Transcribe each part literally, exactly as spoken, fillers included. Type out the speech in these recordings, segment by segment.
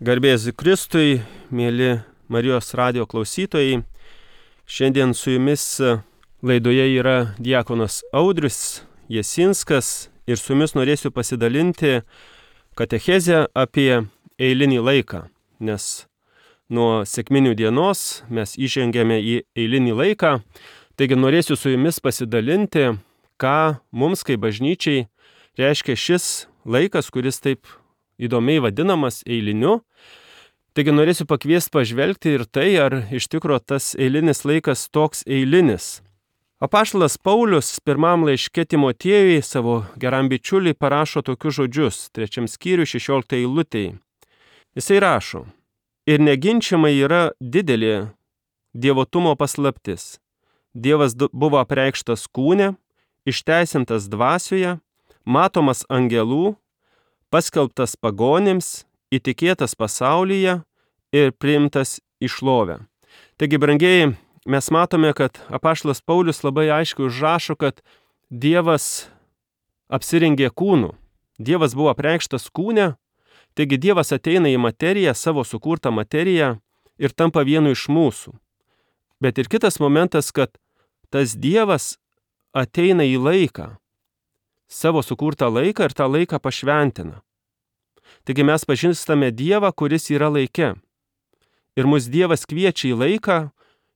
Garbės Kristui, mėly Marijos radijo klausytojai. Šiandien su jumis laidoje yra diakonas Audrius Jasinskas ir su jumis norėsiu pasidalinti katechezę apie eilinį laiką, nes nuo sekminių dienos mes įžengėme į eilinį laiką, taigi norėsiu su jumis pasidalinti, ką mums kaip bažnyčiai reiškia šis laikas, kuris taip įdomiai vadinamas eiliniu. Taigi norėsiu pakviesti pažvelgti ir tai, ar iš tikro tas eilinis laikas toks eilinis. Apaštalas Paulius pirmam laiške Timotiejui savo geram bičiuliui parašo tokius žodžius, trečiam skyriui šešioliktai eilutei. Jisai rašo: ir neginčiamai yra didelė dievotumo paslaptis. Dievas buvo apreikštas kūne, išteisintas dvasioje, matomas angelų, paskelbtas pagonims, įtikėtas pasaulyje ir priimtas į šlovę. Taigi, brangieji, mes matome, kad apaštalas Paulius labai aiškiai užrašo, kad Dievas apsirengė kūnu. Dievas buvo apreikštas kūne, taigi Dievas ateina į materiją, savo sukurtą materiją ir tampa vienu iš mūsų. Bet ir kitas momentas, kad tas Dievas ateina į laiką, savo sukurtą laiką ir tą laiką pašventina. Taigi mes pažįstame Dievą, kuris yra laike. Ir mus Dievas kviečia į laiką,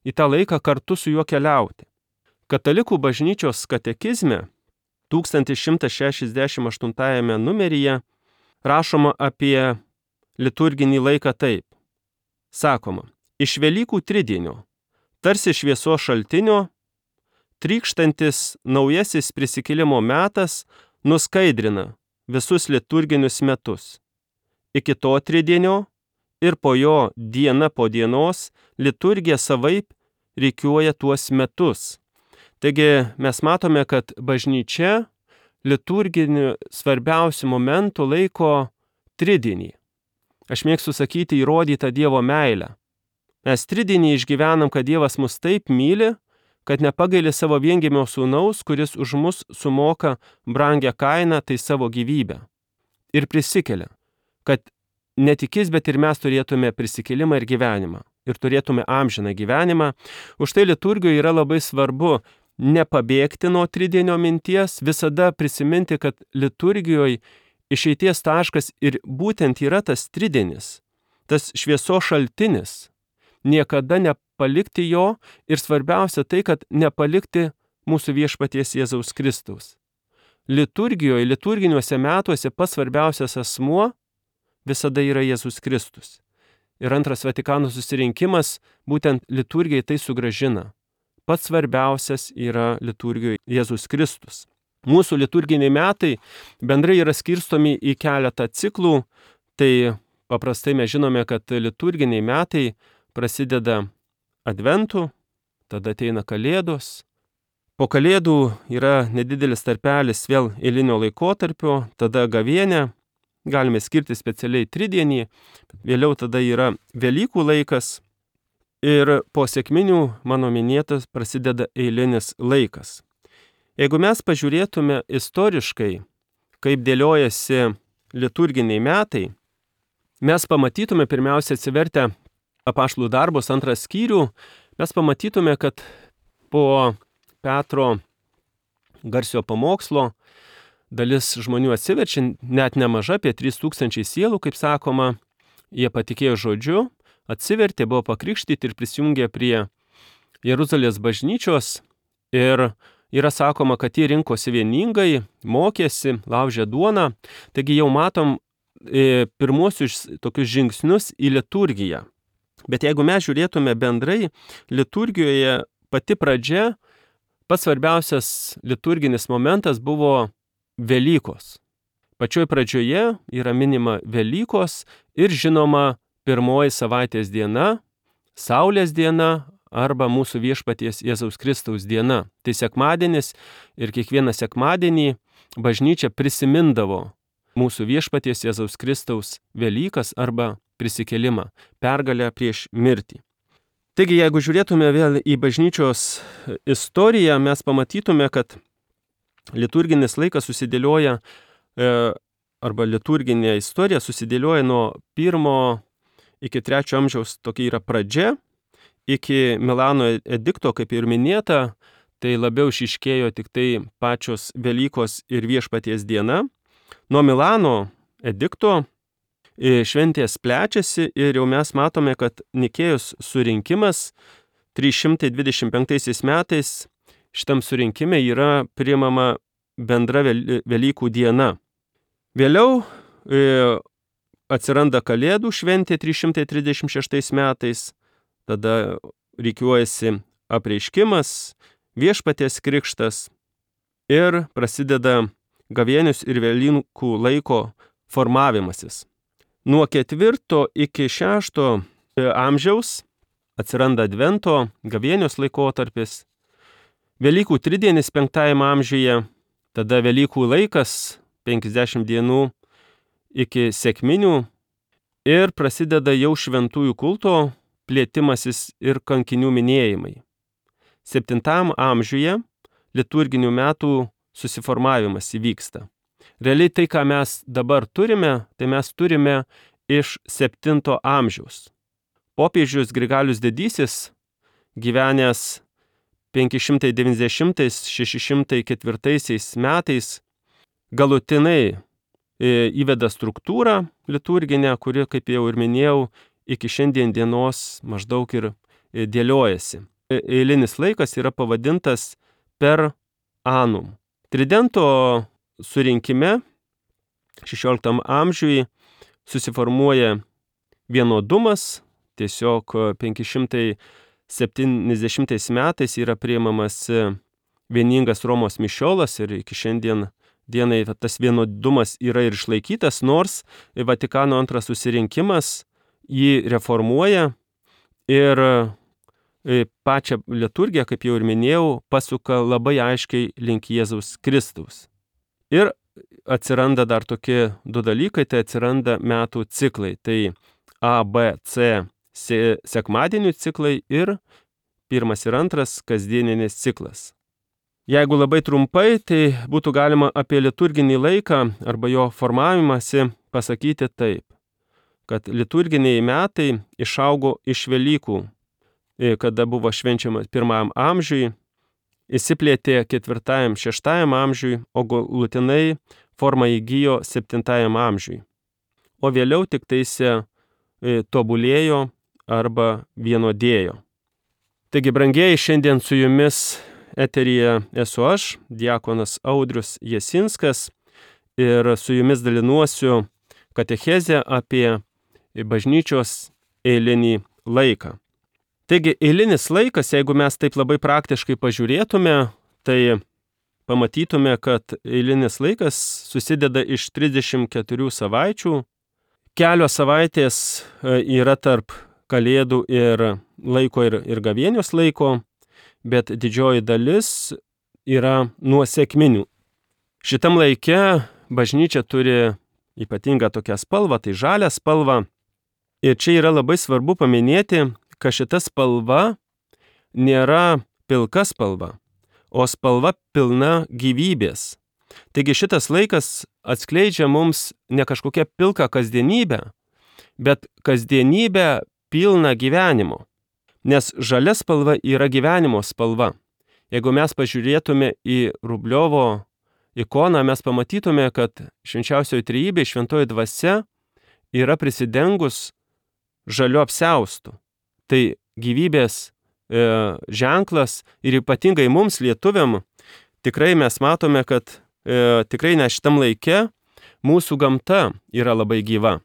į tą laiką kartu su juo keliauti. Katalikų bažnyčios katekizme tūkstantis šimtas šešiasdešimt aštuntajame numeryje rašoma apie liturginį laiką taip. Sakoma: iš Velykų tridienio, tarsi šviesos šaltinio, trykštantis naujasis prisikėlimo metas nuskaidrina visus liturginius metus. Iki to tridienio ir po jo diena po dienos liturgija savaip rikiuoja tuos metus. Taigi mes matome, kad bažnyčia liturginių svarbiausių momentų laiko tridienį. Aš mėgstu sakyti įrodytą Dievo meilę. Mes tridienį išgyvenam, kad Dievas mus taip myli, kad nepagaili savo viengimio sūnaus, kuris už mus sumoka brangią kainą, tai savo gyvybę. Ir prisikelia, kad ne tik jis, bet ir mes turėtume prisikėlimą ir gyvenimą. Ir turėtume amžiną gyvenimą. Už tai liturgijoje yra labai svarbu nepabėgti nuo tridienio minties, visada prisiminti, kad liturgijoje išeities taškas ir būtent yra tas tridienis, tas šviesos šaltinis. Niekada nepalikti jo ir svarbiausia tai, kad nepalikti mūsų viešpaties Jėzaus Kristaus. Liturgijoje, liturginiuose metuose pats svarbiausias asmuo visada yra Jėzus Kristus. Ir antras Vatikano susirinkimas būtent liturgijai tai sugrąžina. Pats svarbiausias yra liturgijoje Jėzus Kristus. Mūsų liturginiai metai bendrai yra skirstomi į keletą ciklų. Tai paprastai mes žinome, kad liturginiai metai prasideda Adventu, tada ateina Kalėdos. Po Kalėdų yra nedidelis tarpelis vėl eilinio laikotarpio, tada Gavėnia, galime skirti specialiai tridienį, vėliau tada yra Velykų laikas ir po sekminių, mano minėtas, prasideda eilinis laikas. Jeigu mes pažiūrėtume istoriškai, kaip dėliojasi liturginiai metai, mes pamatytume pirmiausia atsivertę Apaštalų darbus antrą skyrių, mes pamatytume, kad po Petro garsiojo pamokslo dalis žmonių atsiverčia, net nemaža, apie trys tūkstančiai sielų, kaip sakoma, jie patikėjo žodžiu, atsivertė, buvo pakrikštyti ir prisijungė prie Jeruzalės bažnyčios ir yra sakoma, kad jie rinkosi vieningai, mokėsi, laužė duoną, taigi jau matom e, pirmuosius tokius žingsnius į liturgiją. Bet jeigu mes žiūrėtume bendrai, liturgijoje pati pradžia, pats svarbiausias liturginis momentas buvo Velykos. Pačioj pradžioje yra minima Velykos ir žinoma pirmoji savaitės diena, Saulės diena arba mūsų viešpaties Jėzaus Kristaus diena. Tai sekmadienis ir kiekvieną sekmadienį bažnyčia prisimindavo mūsų viešpaties Jėzaus Kristaus Velykas arba prisikėlimą, pergalę prieš mirtį. Taigi, jeigu žiūrėtume vėl į bažnyčios istoriją, mes pamatytume, kad liturginis laikas susidėlioja, e, arba liturginė istorija susidėlioja nuo pirmo iki trečio amžiaus tokia yra pradžia, iki Milano edikto, kaip ir minėta, tai labiau išiškėjo tik tai pačios Velykos ir Viešpaties diena. Nuo Milano edikto šventės plečiasi ir jau mes matome, kad Nikėjos surinkimas trys šimtai dvidešimt penktaisiais metais šitam surinkime yra priimama bendra Velykų diena. Vėliau e, atsiranda Kalėdų šventė trys šimtai trisdešimt šeštais metais, tada rikiuojasi apreiškimas, Viešpaties krikštas ir prasideda gavėnios ir Velykų laiko formavimasis. Nuo ketvirto iki šešto amžiaus atsiranda Advento, gavėnios laikotarpis, Velykų tridienis penktajame amžiuje, tada Velykų laikas penkiasdešimt dienų iki sekminių ir prasideda jau šventųjų kulto plėtimasis ir kankinių minėjimai. Septintam amžiuje liturginių metų susiformavimas įvyksta. Realiai tai, ką mes dabar turime, tai mes turime iš septinto amžiaus. Popiežius Grigalius Didysis, gyvenęs penki šimtai devyniasdešimtais - šeši šimtai ketvirtaisiais metais, galutinai įveda struktūrą liturginę, kuri, kaip jau ir minėjau, iki šiandien dienos maždaug ir dėliojasi. Eilinis laikas yra pavadintas per annum. Tridento surinkime šešioliktam amžiui susiformuoja vienodumas, tiesiog penki šimtai septyniasdešimtais metais yra priimamas vieningas Romos mišiolas ir iki šiandien dienai tas vienodumas yra ir išlaikytas, nors Vatikano antras susirinkimas jį reformuoja ir pačią liturgiją, kaip jau ir minėjau, pasuka labai aiškiai link Jėzaus Kristaus. Ir atsiranda dar tokie du dalykai, tai atsiranda metų ciklai, tai A, B, C sekmadienių ciklai ir pirmas ir antras kasdieninis ciklas. Jeigu labai trumpai, tai būtų galima apie liturginį laiką arba jo formavimąsi pasakyti taip, kad liturginiai metai išaugo iš Velykų, kada buvo švenčiamas pirmajam amžiui, įsiplėtė ketvirtajam, šeštajam amžiui, o galutinai formą įgijo septintajam amžiui. O vėliau tik taise tobulėjo arba vienodėjo. Taigi, brangieji, šiandien su jumis eteryje esu aš, diakonas Audrius Jasinskas, ir su jumis dalinuosiu katechezę apie bažnyčios eilinį laiką. Taigi, eilinis laikas, jeigu mes taip labai praktiškai pažiūrėtume, tai pamatytume, kad eilinis laikas susideda iš trisdešimt keturių savaičių. Kelios savaitės yra tarp Kalėdų ir laiko ir, ir gavėnios laiko, bet didžioji dalis yra nuo sekminių. Šitam laike bažnyčia turi ypatingą tokią spalvą, tai žalią spalvą. Ir čia yra labai svarbu paminėti, kad šita spalva nėra pilka spalva, o spalva pilna gyvybės. Taigi šitas laikas atskleidžia mums ne kažkokią pilką kasdienybę, bet kasdienybę pilną gyvenimo. Nes žalia spalva yra gyvenimo spalva. Jeigu mes pažiūrėtume į Rubliovo ikoną, mes pamatytume, kad švenčiausioji trejybė, šventoji dvasia yra prisidengus žaliu apsiaustu. Tai gyvybės e, ženklas ir ypatingai mums lietuviam tikrai mes matome, kad e, tikrai ne šitam laike mūsų gamta yra labai gyva.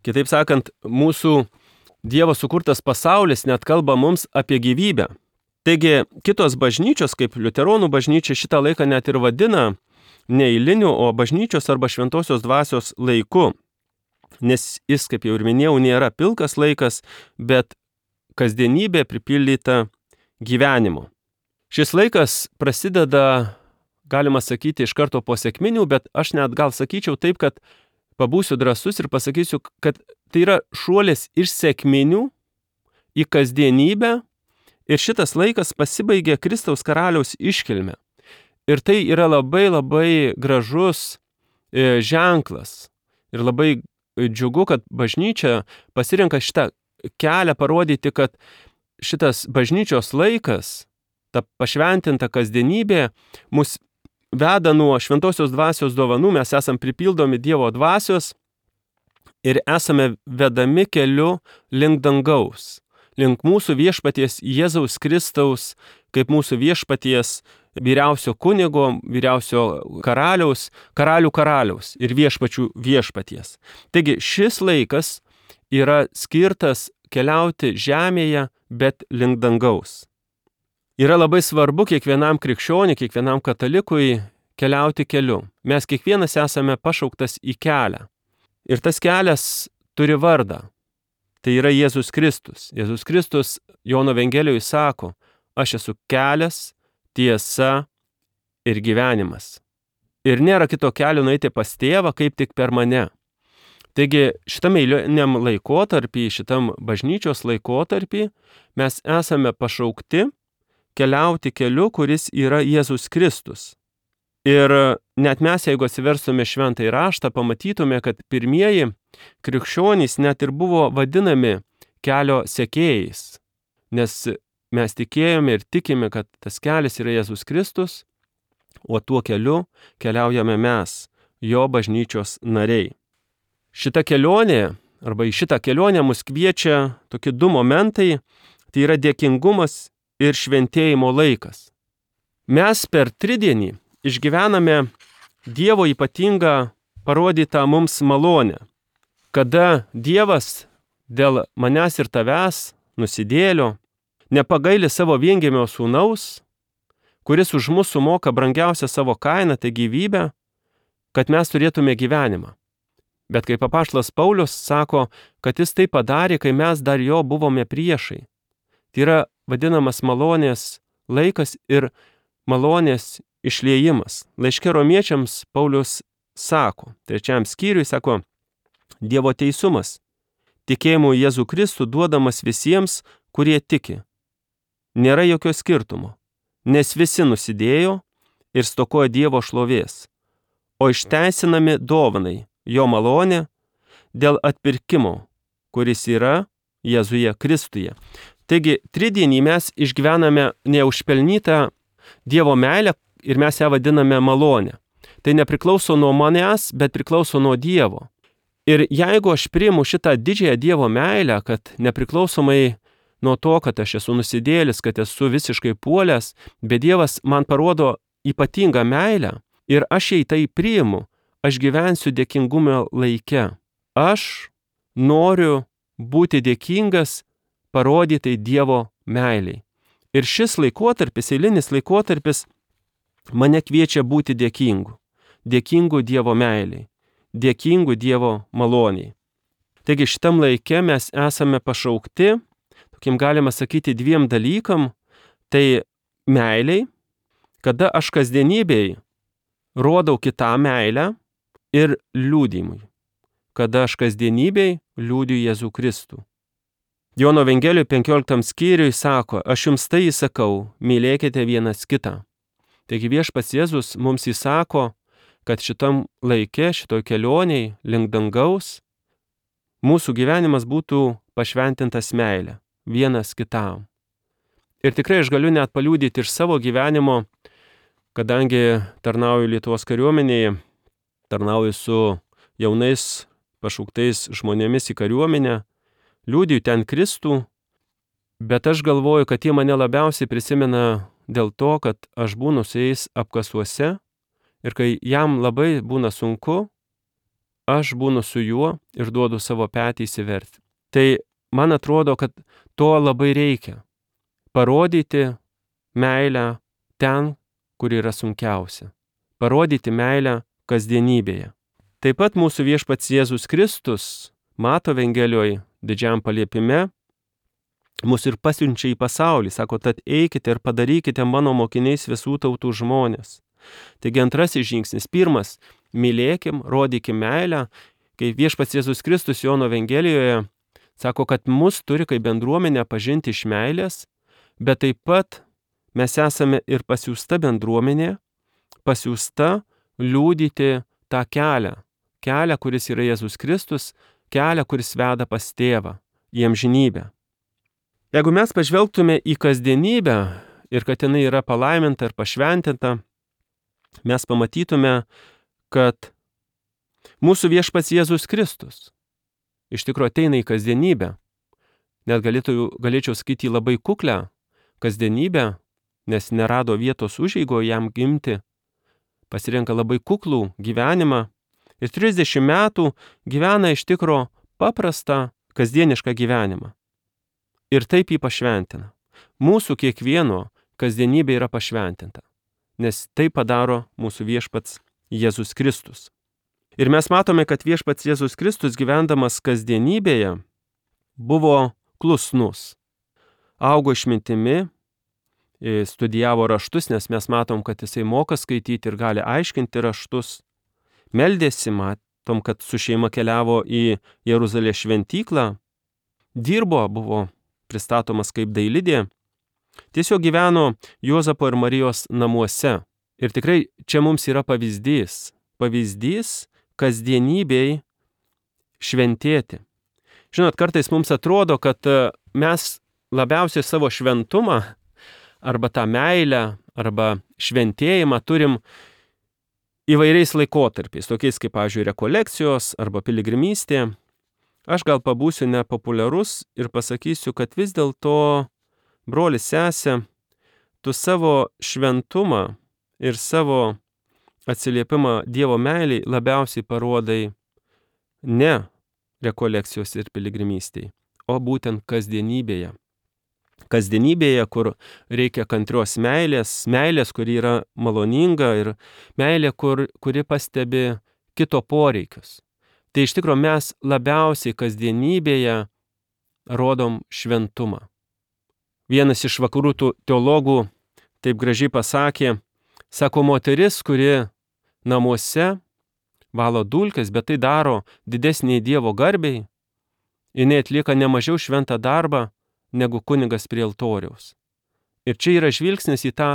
Kitaip sakant, mūsų Dievo sukurtas pasaulis net kalba mums apie gyvybę. Taigi kitos bažnyčios, kaip liuteronų bažnyčia, šitą laiką net ir vadina ne eiliniu, o bažnyčios arba šventosios dvasios laiku. Nes jis, kaip jau ir minėjau, nėra pilkas laikas, bet kasdienybė pripildyta gyvenimo. Šis laikas prasideda, galima sakyti, iš karto po sekminių, bet aš net gal sakyčiau taip, kad pabūsiu drąsus ir pasakysiu, kad tai yra šuolis iš sekminių į kasdienybę ir šitas laikas pasibaigia Kristaus karaliaus iškilme. Ir tai yra labai labai gražus e, ženklas ir labai džiugu, kad bažnyčia pasirenka šitą kelią parodyti, kad šitas bažnyčios laikas, ta pašventinta kasdienybė, mus veda nuo šventosios dvasios dovanų, mes esam pripildomi Dievo dvasios ir esame vedami keliu link dangaus, link mūsų viešpaties Jėzaus Kristaus, kaip mūsų viešpaties vyriausio kunigo, vyriausio karaliaus, karalių karaliaus ir viešpačių viešpaties. Taigi šis laikas yra skirtas keliauti žemėje, bet link dangaus. Yra labai svarbu kiekvienam krikščioniui, kiekvienam katalikui keliauti keliu. Mes kiekvienas esame pašauktas į kelią. Ir tas kelias turi vardą. Tai yra Jėzus Kristus. Jėzus Kristus Jono Evangelijoje sako, aš esu kelias, tiesa ir gyvenimas. Ir nėra kito kelio nueiti pas tėvą, kaip tik per mane. Taigi šitam eiliniam laikotarpį, šitam bažnyčios laikotarpį mes esame pašaukti keliauti keliu, kuris yra Jėzus Kristus. Ir net mes, jeigu atsiverstume šventąjį raštą, pamatytume, kad pirmieji krikščionys net ir buvo vadinami kelio sekėjais, nes mes tikėjome ir tikime, kad tas kelias yra Jėzus Kristus, o tuo keliu keliaujame mes, jo bažnyčios nariai. Šita kelionė, arba į šitą kelionę mus kviečia tokie du momentai, tai yra dėkingumas ir šventėjimo laikas. Mes per tridienį išgyvename Dievo ypatingą parodytą mums malonę, kada Dievas dėl manęs ir tavęs, nusidėlio, nepagaili savo viengimio sūnaus, kuris už mus sumoka brangiausią savo kainą, tai gyvybę, kad mes turėtume gyvenimą. Bet kaip apaštalas Paulius sako, kad jis tai padarė, kai mes dar jo buvome priešai. Tai yra vadinamas malonės laikas ir malonės išliejimas. Laiške romiečiams Paulius sako, trečiam skyriui sako, Dievo teisumas, tikėjimu Jėzų Kristų duodamas visiems, kurie tiki. Nėra jokio skirtumo, nes visi nusidėjo ir stokoja Dievo šlovės, o išteisinami dovanai jo malonė dėl atpirkimo, kuris yra Jėzuje Kristuje. Taigi, tridienį mes išgyvename neužpelnytą Dievo meilę ir mes ją vadiname malonę. Tai nepriklauso nuo manęs, bet priklauso nuo Dievo. Ir jeigu aš priimu šitą didžiąją Dievo meilę, kad nepriklausomai nuo to, kad aš esu nusidėlis, kad esu visiškai puolęs, bet Dievas man parodo ypatingą meilę ir aš jai tai priimu, aš gyvensiu dėkingumo laike. Aš noriu būti dėkingas parodytai Dievo meiliai. Ir šis laikotarpis, eilinis laikotarpis, mane kviečia būti dėkingu. Dėkingu Dievo meiliai. Dėkingu Dievo maloniai. Taigi šitam laike mes esame pašaukti, tokiem galima sakyti, dviem dalykam, tai meiliai, kada aš kasdienybėj rodau kitą meilę, ir liūdimui, kada aš kasdienybėj liūdiu Jėzų Kristų. Jono Evangelijoje penkioliktam skyriui sako, aš jums tai įsakau, mylėkite vienas kitą. Taigi viešpats Jėzus mums įsako, kad šitam laike, šitoj kelioniai link dangaus, mūsų gyvenimas būtų pašventintas meilė, vienas kitam. Ir tikrai aš galiu net paliudyti iš savo gyvenimo, kadangi tarnauju Lietuvos kariuomenėje, tarnauju su jaunais pašauktais žmonėmis į kariuomenę, liudiju ten Kristų, bet aš galvoju, kad jie mane labiausiai prisimena dėl to, kad aš būnu su jais apkasuose ir kai jam labai būna sunku, aš būnu su juo ir duodu savo petį įsiverti. Tai man atrodo, kad to labai reikia. Parodyti meilę ten, kur yra sunkiausia. Parodyti meilę kasdienybėje. Taip pat mūsų viešpats Jėzus Kristus, Mato Evangelijoje, didžiam paliepime, mus ir pasiunčia į pasaulį. Sako, tad eikite ir padarykite mano mokiniais visų tautų žmonės. Taigi antrasis žingsnis. Pirmas, mylėkim, rodykim meilę. Kai viešpats Jėzus Kristus Jono Evangelijoje sako, kad mus turi kaip bendruomenę pažinti iš meilės, bet taip pat mes esame ir pasiųsta bendruomenė, pasiųsta liūdyti tą kelią, kelią, kuris yra Jėzus Kristus, kelią, kuris veda pas tėvą į amžinybę. Jeigu mes pažvelgtume į kasdienybę ir kad jinai yra palaiminta ir pašventinta, mes pamatytume, kad mūsų viešpats Jėzus Kristus iš tikrųjų ateina į kasdienybę. Net galėtų, galėčiau sakyti labai kuklę kasdienybę, nes nerado vietos užeigoje jam gimti, pasirenka labai kuklų gyvenimą ir trisdešimt metų gyvena iš tikro paprastą kasdienišką gyvenimą. Ir taip jį pašventina. Mūsų kiekvieno kasdienybė yra pašventinta, nes tai padaro mūsų viešpats Jėzus Kristus. Ir mes matome, kad viešpats Jėzus Kristus gyvendamas kasdienybėje buvo klusnus. Augo išmintimi, studijavo raštus, nes mes matom, kad jisai moka skaityti ir gali aiškinti raštus. Meldėsi, matom, kad su šeima keliavo į Jeruzalės šventyklą. Dirbo, buvo pristatomas kaip dailidė. Tiesiog gyveno Juozapo ir Marijos namuose. Ir tikrai čia mums yra pavyzdys. Pavyzdys kasdienybei šventėti. Žinot, kartais mums atrodo, kad mes labiausiai savo šventumą arba tą meilę, arba šventėjimą turim įvairiais laikotarpiais, tokiais kaip, pavyzdžiui, rekolekcijos arba piligrimystė. Aš gal pabūsiu nepopuliarus ir pasakysiu, kad vis dėlto, brolis, sesė, tu savo šventumą ir savo atsiliepimą Dievo meiliai labiausiai parodai ne rekolekcijos ir piligrimystėje, o būtent kasdienybėje. Kasdienybėje, kur reikia kantrios meilės, meilės, kuri yra maloninga ir meilė, kur, kuri pastebi kito poreikius. Tai iš tikrųjų mes labiausiai kasdienybėje rodom šventumą. Vienas iš vakarų teologų taip gražiai pasakė, sako, moteris, kuri namuose valo dulkes, bet tai daro didesnį Dievo garbei, jinai atlieka nemažiau šventą darbą negu kunigas prie altoriaus. Ir čia yra žvilgsnis į tą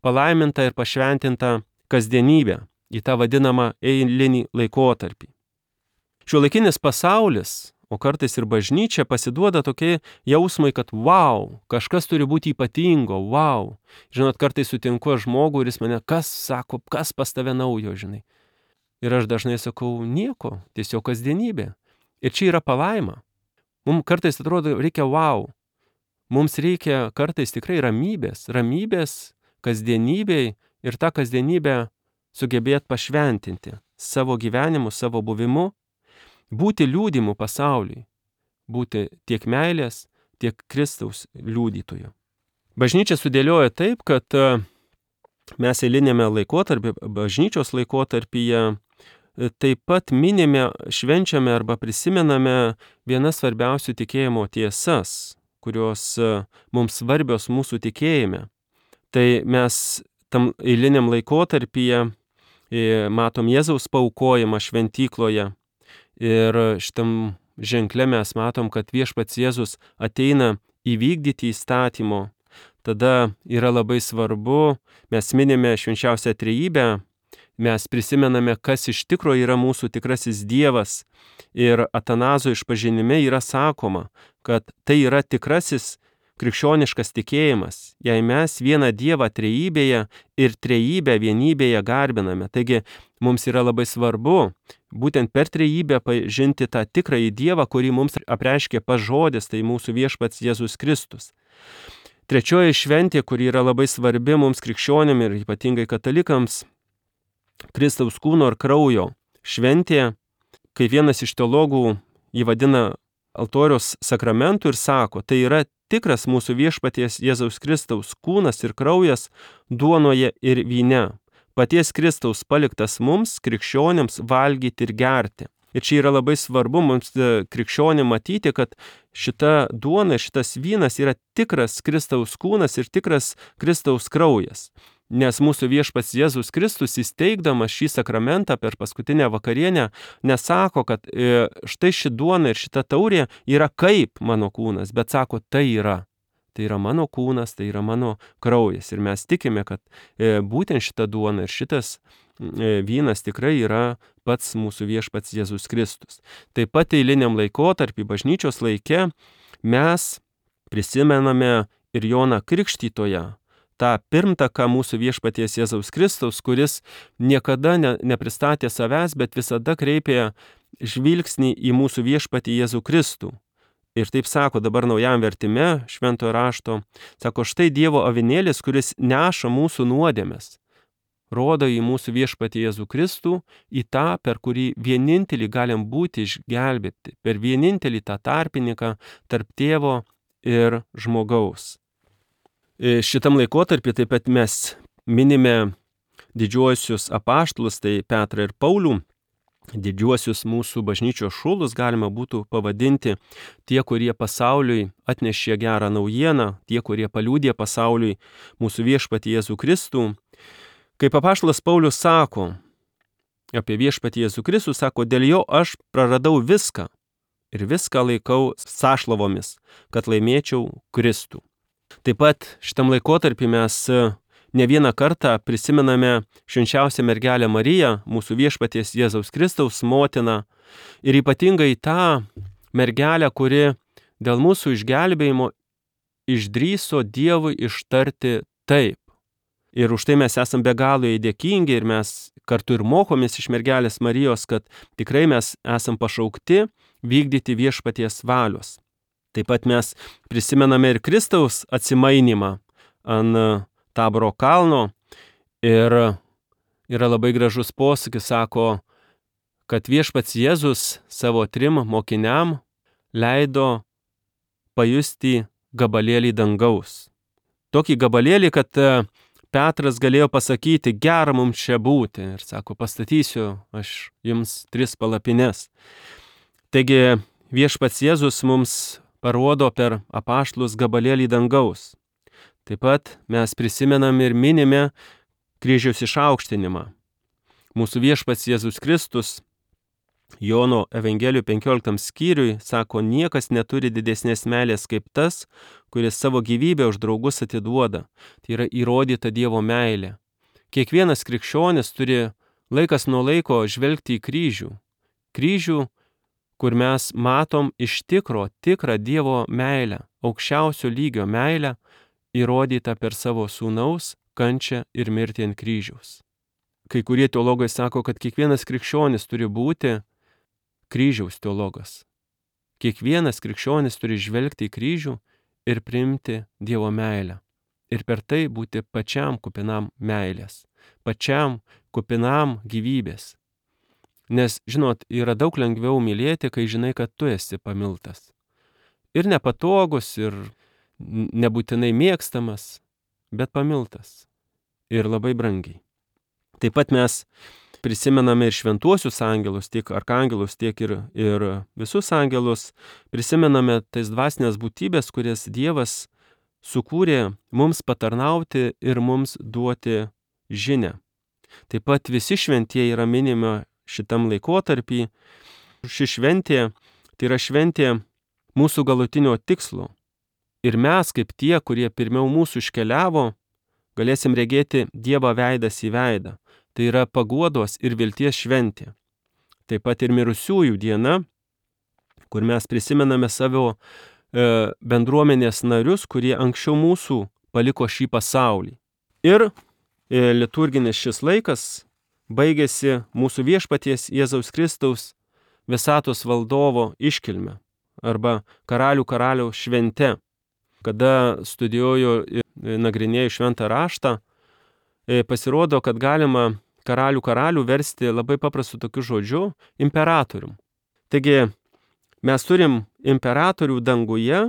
palaimintą ir pašventintą kasdienybę, į tą vadinamą eilinį laikotarpį. Šiuolaikinis pasaulis, o kartais ir bažnyčia, pasiduoda tokie jausmai, kad wow, kažkas turi būti ypatingo, wow. Žinot, kartais sutinku žmogų ir jis mane, kas sako, kas pas tave naujo, žinai. Ir aš dažnai sakau, nieko, tiesiog kasdienybė. Ir čia yra palaima. Mums kartais atrodo, reikia wow. Mums reikia kartais tikrai ramybės, ramybės kasdienybei ir tą kasdienybę sugebėti pašventinti savo gyvenimu, savo buvimu, būti liudimu pasauliui, būti tiek meilės, tiek Kristaus liudytoju. Bažnyčia sudėlioja taip, kad mes eilinėme laikotarpyje, bažnyčios laikotarpyje, taip pat minime, švenčiame arba prisimename vienas svarbiausių tikėjimo tiesas, kurios mums svarbios mūsų tikėjime. Tai mes tam eiliniam laikotarpyje matom Jėzaus paaukojimą šventykloje ir šitam ženkle mes matom, kad viešpats Jėzus ateina įvykdyti įstatymo. Tada yra labai svarbu, mes minime švenčiausią trejybę, mes prisimename, kas iš tikro yra mūsų tikrasis Dievas. Ir Atanazo išpažinime yra sakoma, kad tai yra tikrasis krikščioniškas tikėjimas, jei mes vieną Dievą trejybėje ir trejybę vienybėje garbiname. Taigi mums yra labai svarbu būtent per trejybę pažinti tą tikrąjį Dievą, kurį mums apreiškė pats žodis, tai mūsų viešpats Jėzus Kristus. Trečioji šventė, kuri yra labai svarbi mums krikščionim ir ypatingai katalikams, Kristaus kūno ir kraujo šventė, kai vienas iš teologų jį vadina altoriaus sakramentu ir sako, tai yra tikras mūsų viešpaties Jėzaus Kristaus kūnas ir kraujas duonoje ir vyne, paties Kristaus paliktas mums, krikščionims, valgyti ir gerti. Ir čia yra labai svarbu mums krikščionim matyti, kad šita duona, šitas vynas yra tikras Kristaus kūnas ir tikras Kristaus kraujas. Nes mūsų viešpats Jėzus Kristus, įsteigdamas šį sakramentą per paskutinę vakarienę, nesako, kad e, štai ši duona ir šita taurė yra kaip mano kūnas, bet sako, tai yra. Tai yra mano kūnas, tai yra mano kraujas. Ir mes tikime, kad e, būtent šita duona ir šitas vynas tikrai yra pats mūsų viešpats Jėzus Kristus. Taip pat eiliniam laikotarpį, bažnyčios laike, mes prisimename ir Joną Krikštytoją, tą pirmtaką mūsų viešpaties Jėzaus Kristaus, kuris niekada ne, nepristatė savęs, bet visada kreipė žvilgsnį į mūsų viešpatį Jėzų Kristų. Ir taip sako dabar naujam vertime šventojo rašto, sako, štai Dievo avinėlis, kuris neša mūsų nuodėmes, rodo į mūsų viešpatį Jėzų Kristų, į tą, per kurį vienintelį galim būti išgelbėti, per vienintelį tą tarpininką tarp tėvo ir žmogaus. Šitam laikotarpį taip pat mes minime didžiuosius apaštalus, tai Petrą ir Paulių. Didžiuosius mūsų bažnyčios šulus galima būtų pavadinti tie, kurie pasauliui atnešė gerą naujieną, tie, kurie paliudė pasauliui mūsų viešpatį Jėzų Kristų. Kaip apaštalas Paulius sako apie viešpatį Jėzų Kristų, sako, dėl jo aš praradau viską ir viską laikau sąšlavomis, kad laimėčiau Kristų. Taip pat šitam laikotarpį mes ne vieną kartą prisimename švenčiausią mergelę Mariją, mūsų viešpaties Jėzaus Kristaus motiną, ir ypatingai tą mergelę, kuri dėl mūsų išgelbėjimo išdrįso Dievui ištarti taip. Ir už tai mes esam be galo dėkingi ir mes kartu ir mokomės iš mergelės Marijos, kad tikrai mes esam pašaukti vykdyti viešpaties valios. Taip pat mes prisimename ir Kristaus atsimainimą ant Taboro kalno ir yra labai gražus posakis, sako, kad viešpats Jėzus savo trim mokiniam leido pajusti gabalėlį dangaus. Tokį gabalėlį, kad Petras galėjo pasakyti, gera mums čia būti, ir sako, pastatysiu aš jums tris palapines. Taigi viešpats Jėzus mums parodo per apaštalus gabalėlį dangaus. Taip pat mes prisimenam ir minime kryžiaus išaukštinimą. Mūsų viešpats Jėzus Kristus Jono Evangelijų penkioliktam skyriui sako, niekas neturi didesnės meilės kaip tas, kuris savo gyvybę už draugus atiduoda. Tai yra įrodyta Dievo meilė. Kiekvienas krikščionis turi laikas nuo laiko žvelgti į kryžių. Kryžių, kur mes matom iš tikro, tikrą Dievo meilę, aukščiausio lygio meilę, įrodyta per savo sūnaus kančią ir mirtį ant kryžiaus. Kai kurie teologai sako, kad kiekvienas krikščionis turi būti kryžiaus teologas. Kiekvienas krikščionis turi žvelgti į kryžių ir priimti Dievo meilę. Ir per tai būti pačiam kupinam meilės, pačiam kupinam gyvybės. Nes, žinot, yra daug lengviau mylėti, kai žinai, kad tu esi pamiltas. Ir nepatogus, ir nebūtinai mėgstamas, bet pamiltas ir labai brangiai. Taip pat mes prisimename ir šventuosius angelus, tiek arkangelus, tiek ir, ir visus angelus, prisimename tais dvasinės būtybės, kurias Dievas sukūrė mums patarnauti ir mums duoti žinią. Taip pat visi šventieji yra minimi šitam laikotarpį. Ši šventė, tai yra šventė mūsų galutinio tikslo. Ir mes, kaip tie, kurie pirmiau mūsų iškeliavo, galėsim regėti Dievą veidas į veidą. Tai yra paguodos ir vilties šventė. Taip pat ir mirusiųjų diena, kur mes prisimename savo e, bendruomenės narius, kurie anksčiau mūsų paliko šį pasaulį. Ir e, liturginis šis laikas baigėsi mūsų viešpaties Jėzaus Kristaus visatos valdovo iškilme arba karalių karaliaus švente. Kada studijuoju ir nagrinėju šventą raštą, pasirodo, kad galima karalių karalių versti labai paprastu tokiu žodžiu – imperatorium. Taigi, mes turim imperatorių danguje,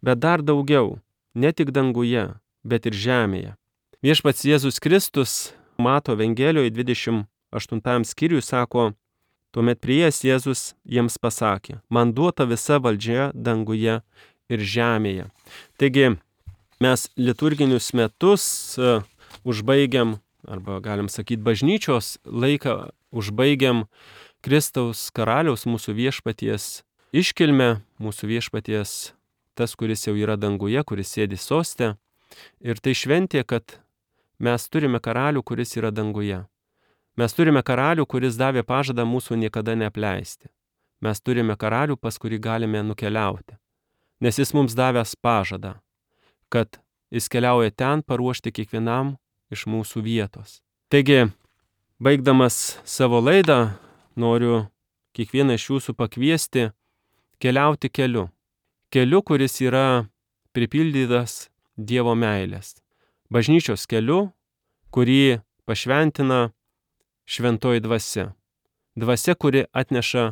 bet dar daugiau, ne tik danguje, bet ir žemėje. Viešpats Jėzus Kristus Mato Evangelijoje dvidešimt aštuntam skyriui sako, tuomet priėjęs Jėzus jiems pasakė, man duota visa valdžia danguje ir žemėje. Taigi mes liturginius metus uh, užbaigiam, arba galim sakyti bažnyčios laiką, užbaigiam Kristaus karaliaus mūsų viešpaties iškilmę, mūsų viešpaties tas, kuris jau yra danguje, kuris sėdi soste. Ir tai šventė, kad mes turime karalių, kuris yra danguje. Mes turime karalių, kuris davė pažadą mūsų niekada neapleisti. Mes turime karalių, pas kurį galime nukeliauti. Nes jis mums davęs pažadą, kad jis keliauja ten paruošti kiekvienam iš mūsų vietos. Taigi, baigdamas savo laidą, noriu kiekvieną iš jūsų pakviesti keliauti keliu. Keliu, kuris yra pripildytas Dievo meilės. Bažnyčios keliu, kurį pašventina šventoji dvasia. Dvasia, kuri atneša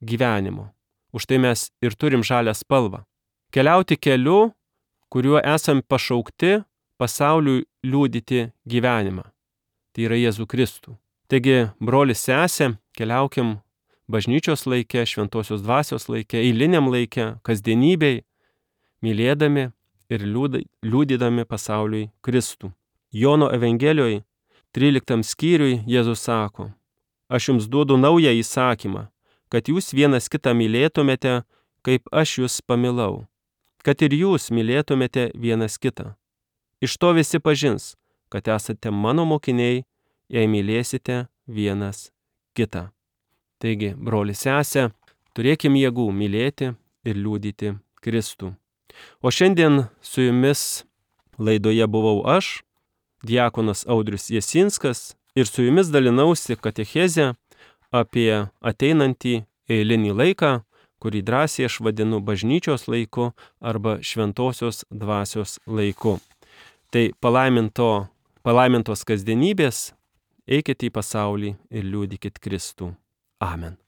gyvenimo. Už tai mes ir turim žalią spalvą. Keliauti keliu, kuriuo esam pašaukti pasauliui liudyti gyvenimą. Tai yra Jėzų Kristų. Taigi, brolis sesė, keliaukim bažnyčios laike, šventosios dvasios laike, eiliniam laike, kasdienybei, mylėdami ir liudydami pasauliui Kristų. Jono Evangelijoje tryliktam skyriui Jėzus sako: Aš jums duodu naują įsakymą, kad jūs vienas kitą mylėtumėte, kaip aš jūs pamilau, kad ir jūs mylėtumėte vienas kitą. Iš to visi pažins, kad esate mano mokiniai, jei mylėsite vienas kitą. Taigi, broli sesė, turėkim jėgų mylėti ir liudyti Kristų. O šiandien su jumis laidoje buvau aš, diakonas Audrius Jasinskas, ir su jumis dalinausi katechezę apie ateinantį eilinį laiką, kurį drąsiai aš vadinu bažnyčios laiku arba šventosios dvasios laiku. Tai palaiminto, palaimintos kasdienybės, eikite į pasaulį ir liudykit Kristų. Amen.